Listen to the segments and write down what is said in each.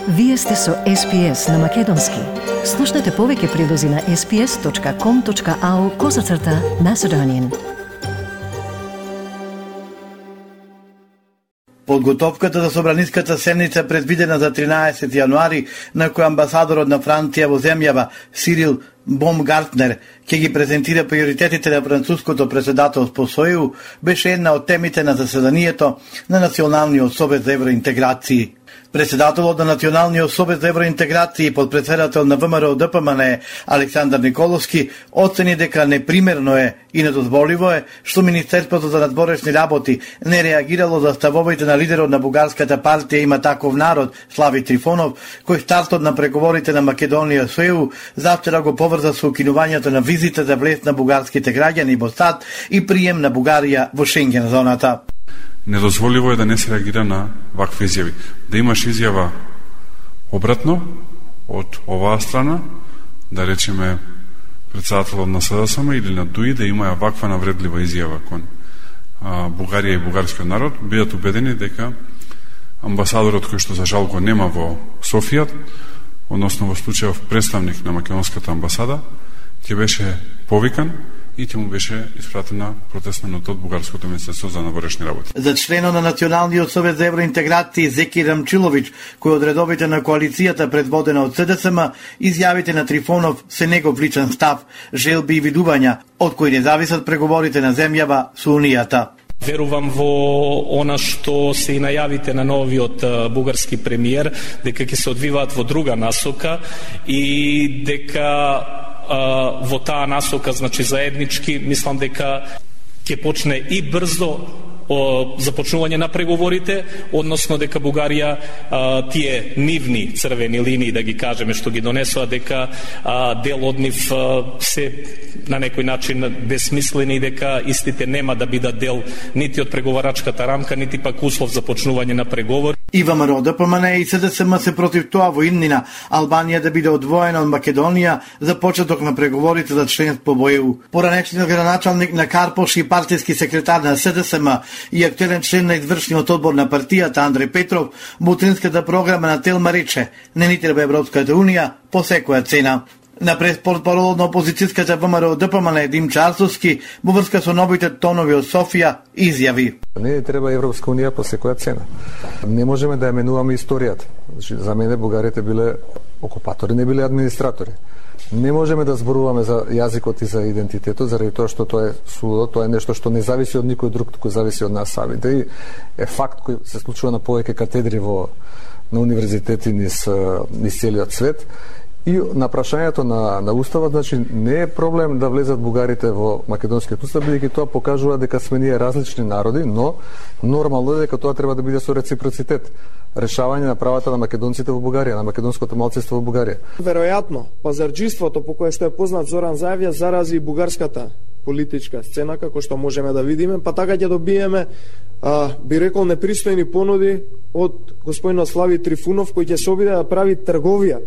Вие сте со SPS на Македонски. Слушнете повеќе прилози на sps.com.au/Macedonian. Подготовката за собраниската седница предвидена за 13 јануари, на која амбасадорот на Франција во земјава Сирил Бомгартнер ќе ги презентира приоритетите на француското председателство со ЕУ, беше една од темите на заседанието на Националниот совет за евроинтеграција. Председателот на Националниот совет за евроинтеграција и подпредседател на ВМРО-ДПМН Александар Николовски оцени дека непримерно е и недозволиво е што Министерството за надворешни работи не реагирало за ставовите на лидерот на бугарската партија Има таков народ Слави Трифонов, кој стартот на преговорите на Македонија со ЕУ завчера го поврза со укинувањето на визите за влез на бугарските граѓани во САД и прием на Бугарија во Шенген зоната. Недозволиво е да не се реагира на вакви изјави. Да имаш изјава обратно од оваа страна, да речеме председателот на СДСМ или на ДУИ, да има ваква навредлива изјава кон Бугарија и бугарскиот народ, бидат убедени дека амбасадорот кој што за жал го нема во Софија, односно во случајов представник на македонската амбасада, ќе беше повикан и ќе му беше испратена протестна нота од Бугарското министерство за надворешни работи. За членот на Националниот совет за евроинтеграција Зеки Рамчилович, кој од редовите на коалицијата предводена од СДСМ, изјавите на Трифонов се негов личен став, желби и видувања, од кои не зависат преговорите на земјава со Унијата. Верувам во она што се и најавите на новиот бугарски премиер, дека ќе се одвиваат во друга насока и дека во таа насока, значи заеднички, мислам дека ќе почне и брзо започнување на преговорите, односно дека Бугарија тие нивни црвени линии, да ги кажеме, што ги донесува, дека дел од нив се на некој начин безсмислени, дека истите нема да бидат дел нити од преговарачката рамка, нити пак услов за почнување на преговори. И ВМРО-ДПМН и СДСМ се против тоа во иднина Албанија да биде одвоена од Македонија за почеток на преговорите за членство во ЕУ. Поранешниот градоначалник на Карпош и партиски секретар на СДСМ и актуелен член на извршниот одбор на партијата Андреј Петров во утринската програма на Телма рече: не ни треба Европската Унија по секоја цена. На преспортпаролот на опозицијската ВМРО-ДПМН Димчо Арсовски во врска со новите тонови од Софија изјави: не треба Европска Унија по секоја цена. Не можеме да ја менуваме историјата. Значи, за мене бугарите биле окупатори, не биле администратори. Не можеме да зборуваме за јазикот и за идентитетот, заради тоа што тоа е судо, тоа е нешто што не зависи од никој друг, туку зависи од нас самите. И е факт кој се случува на повеќе катедри на универзитети низ целиот свет. И на прашањето на уставот, значи не е проблем да влезат бугарите во македонскиот устав, бидејќи тоа покажува дека сме ние различни народи, но нормално е дека тоа треба да биде со реципроцитет. Решавање на правата на македонците во Бугарија, на македонското малцинство во Бугарија. Веројатно, пазарџиството по кое што е познат Зоран Заевја зарази и бугарската политичка сцена, како што можеме да видиме, па така ќе добиеме, би рекол, непристојни понуди од господинот Слави Трифунов, кој ќе се обиде да прави трговија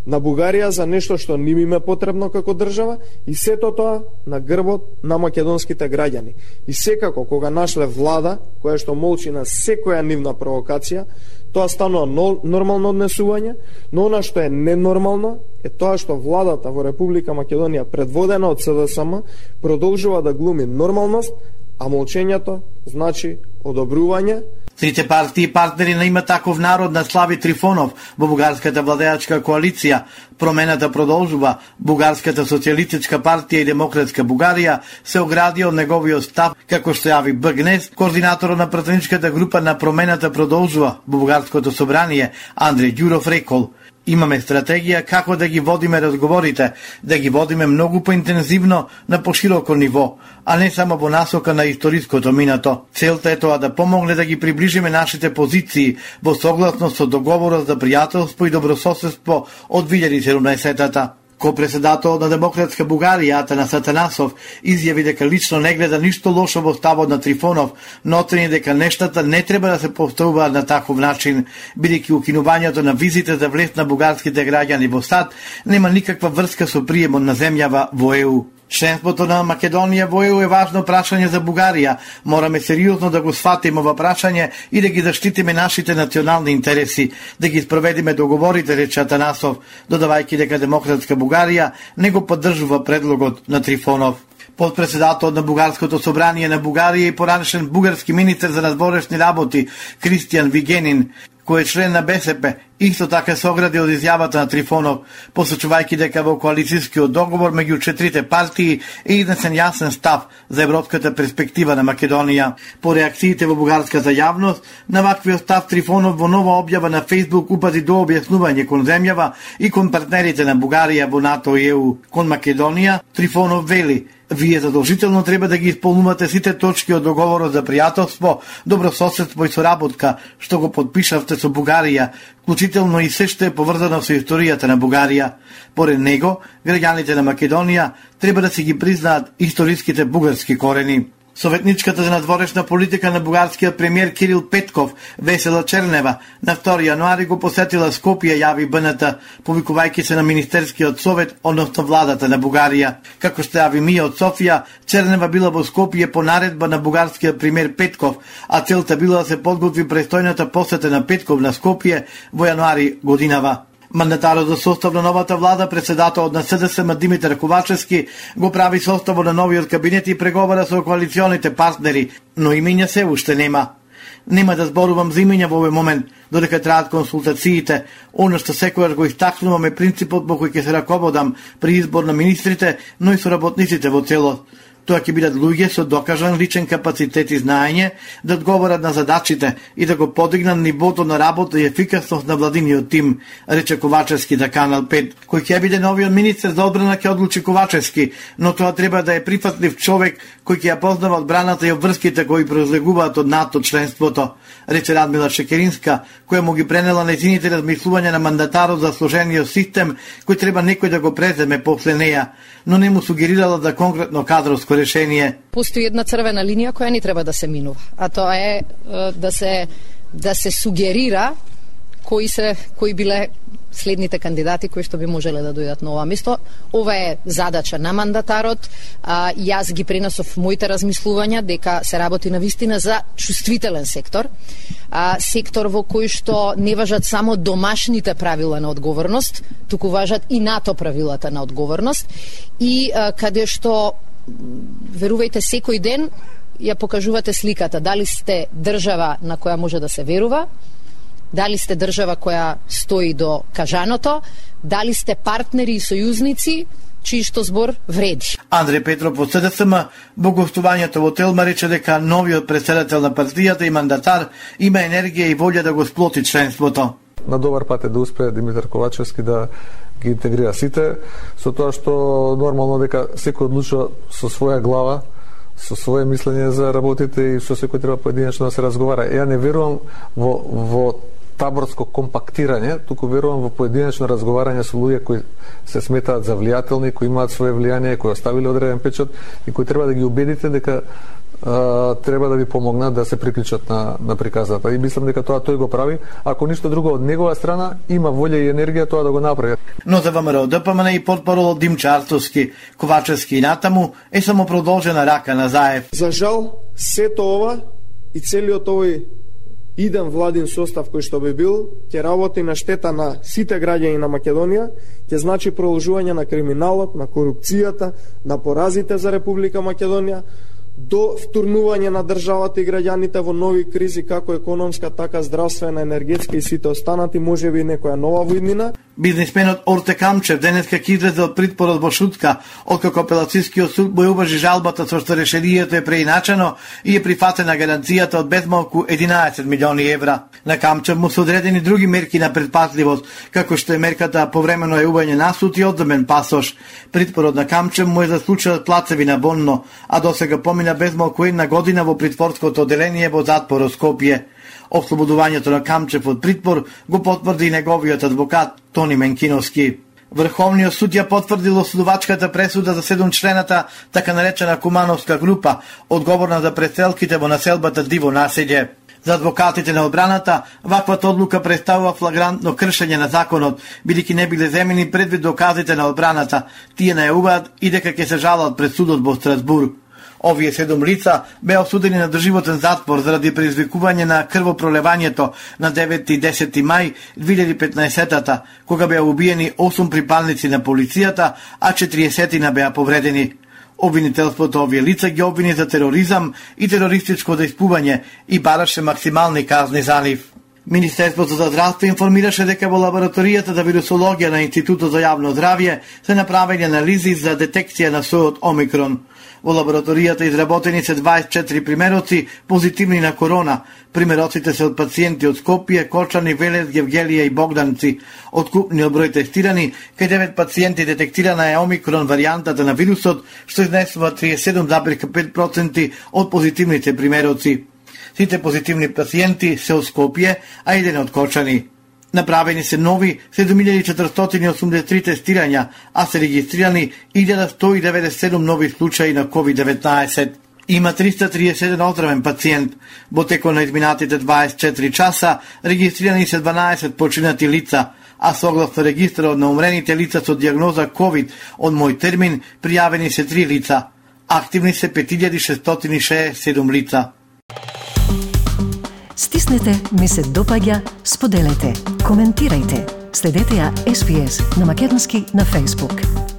на Бугарија за нешто што ним им е потребно како држава, и сето тоа на грбот на македонските граѓани. И секако, кога нашле влада, која што молчи на секоја нивна провокација, тоа станува нормално однесување, но она што е ненормално е тоа што владата во Република Македонија, предводена од СДСМ, продолжува да глуми нормалност, а молчењето значи одобрување. Трите партии и партнери на Има таков народ на Слави Трифонов во бугарската владеачка коалиција, Промената продолжува, Бугарската социјалистичка партија и Демократска Бугарија се огради од неговиот став, како што јави БГНЕС, координаторот на пратеничката група на Промената продолжува во Бугарското собрание Андреј Ѓуров рекол: имаме стратегија како да ги водиме разговорите, да ги водиме многу поинтензивно на пошироко ниво, а не само во насока на историското минато. Целта е тоа да помогне да ги приближиме нашите позиции во согласност со договорот за пријателство и добрососедство од 2017-та. Ко-председателот на Демократска Бугарија Атанас Атанасов изјави дека лично не гледа ништо лошо во ставот на Трифонов, но оцени дека нештата не треба да се поставуваат на таков начин, бидејќи укинувањето на визите за влез на бугарските граѓани во САД нема никаква врска со приемот на земјава во ЕУ. Членството на Македонија во ЕУ е важно прашање за Бугарија. Мораме сериозно да го сватиме ова прашање и да ги заштитиме нашите национални интереси, да ги спроведиме договорите, рече Атанасов, додавајќи дека Демократска Бугарија не го поддржува предлогот на Трифонов. Подпредседател на Бугарското собрание на Бугарија и поранешен бугарски министер за надворешни работи Кристијан Вигенин, кој е член на БСП, исто така се огради од изјавата на Трифонов, посочувајќи дека во коалицијскиот договор меѓу четирите партии е изнесен јасен став за европската перспектива на Македонија. По реакциите во бугарската јавност, на ваквиот став Трифонов во нова објава на Facebook упази до објаснување кон земјава и кон партнерите на Бугарија во НАТО и ЕУ. Кон Македонија, Трифонов вели: вие задолжително треба да ги исполнувате сите точки од договорот за пријателство, добрососедство и соработка, што го подпишавте со Бугарија, вклучително и се што е поврзано со историјата на Бугарија. Поред него, граѓаните на Македонија треба да си ги признаат историските бугарски корени. Советничката за надворешна политика на бугарскиот премиер Кирил Петков, Весела Чернева, на 2 јануари го посетила Скопје, јави БНТ, повикувајќи се на Министерскиот совет, односно владата на Бугарија. Како што јави МИ од Софија, Чернева била во Скопје по наредба на бугарскиот премиер Петков, а целта била да се подготви престојната посета на Петков на Скопје во јануари годинава. Мандатарот за состав на новата влада, председателот на СДСМ Димитар Ковачевски, го прави составот на новиот кабинет и преговара со коалиционите партнери, но имења се уште нема. Нема да зборувам за имења во овој момент, додека траат консултациите. Оно што секогаш го истакнуваме принципот по кој ќе се раководам при избор на министрите, но и со работниците во целост. Тоа ќе бидат луѓе со докажан личен капацитет и знаење да одговорат на задачите и да го подигнат нивото на работа и ефикасност на владиниот тим, рече Ковачевски на Канал 5. Кој ќе биде новиот министер за одбрана ќе одлучи Ковачевски, но тоа треба да е прифатлив човек кој ќе ја познава одбраната и обврските кои произлегуваат од НАТО членството, рече Радмила Шекеринска, која му ги пренела нејзините размислувања на мандатарот за сложениот систем кој треба некој да го преземе после неја, но не му сугерирала за конкретно кадровско решение. Постои една црвена линија која не треба да се минува, а тоа е да се сугерира кои биле следните кандидати кои што би можеле да дојдат на ова место. Ова е задача на мандатарот. Јас ги пренесов моите размислувања дека се работи на вистина за чувствителен сектор. Сектор во кој што не важат само домашните правила на одговорност, туку важат и НАТО правилата на одговорност и каде што, верувајте, секој ден ја покажувате сликата дали сте држава на која може да се верува, дали сте држава која стои до кажаното, дали сте партнери и сојузници чиј што збор вреди. Андреј Петров од СДСМ во гостувањето во Телма рече дека новиот председател на партијата и мандатар има енергија и волја да го сплоти членството. На добар пат е да успее Димитар Ковачевски да ги интегрира сите, со тоа што нормално дека секој одлучува со своја глава, со свое мислење за работите и со секој треба поединечно да се разговара. Ја не верувам во таборско компактирање, туку верувам во поединечно разговарање со луѓе кои се сметаат за влијателни, кои имаат свое влијание, кои оставиле одреден печат и кои треба да ги убедите дека треба да ви помогнат да се приклучат на приказата. И мислам дека тоа тој го прави. Ако ништо друго од негова страна, има волја и енергија тоа да го направи. Но за ВМРО ДПМН и портпарол Димчо Артовски, Ковачевски и натаму е само продолжена рака на Заев. За жал, сето ова и целиот овој иден владин состав кој што би бил, ќе работи на штета на сите граѓани на Македонија, ќе значи продолжување на криминалот, на корупцијата, на поразите за Република Македонија, до втурнување на државата и граѓаните во нови кризи, како економска, така здравствена, енергетска и сите останати, можеби некоја нова војнина. Бизнисменот Орте Камчев денеска ќе излезе од притворот во Шутка, откако апелацијскиот суд му уважи жалбата со што решението е преиначено и е прифатена гаранцијата од безмалку 11 милиони евра. На Камчев му се одредени други мерки на предпазливост, како што е мерката повремено јавување на суд и одземен пасош. Притворот на Камчев му е за случајот Плацеви на Бонно, а досега помина безмалку една година во притворското оделение во затворот Скопје. Ослободувањето на Камчев од притвор го потврди и неговиот адвокат Тони Менкиновски. Врховниот суд ја потврдил осудувачката пресуда за 7-члената така наречена Кумановска група, одговорна за преселките во населбата Диво населје. За адвокатите на одбраната, ваквата одлука представува флагрантно кршење на законот, бидејќи не биле земени предвид доказите на одбраната. Тие најавуваат и дека ќе се жалат пред судот во Страсбург. Овие 7 лица беа осудени на доживотен затвор заради предизвикување на крвопролевањето на 9 и 10 мај 2015-та, кога беа убиени 8 припадници на полицијата, а 40 беа повредени. Обвинителството овие лица ги обвини за тероризам и терористичко дејствување и бараше максимални казни за нив. Министерството за здравство информираше дека во лабораторијата за вирусологија на Институтот за јавно здравје се направени анализи за детекција на сојот Омикрон. Во лабораторијата изработени се 24 примероци позитивни на корона. Примероците се од пациенти од Скопје, Кочани, Велес, Гевгелија и Богданци. Од купниот број тестирани, кај 9 пациенти детектирана е Омикрон варијантата на вирусот, што изнесува 37,5% од позитивните примероци. Сите позитивни пациенти се од Скопје, а еден од Кочани. Направени се нови 7483 тестирања, а се регистрирани 1197 нови случаи на COVID-19. Има 331 оздравен пациент. Во текот на изминатите 24 часа регистрирани се 12 починати лица, а согласно регистарот на умрените лица со дијагноза COVID од мој термин пријавени се 3 лица. Активни се 5667 лица. Стиснете, ми се допаѓа, споделете, коментирајте. Следете ја SPS на македонски на Facebook.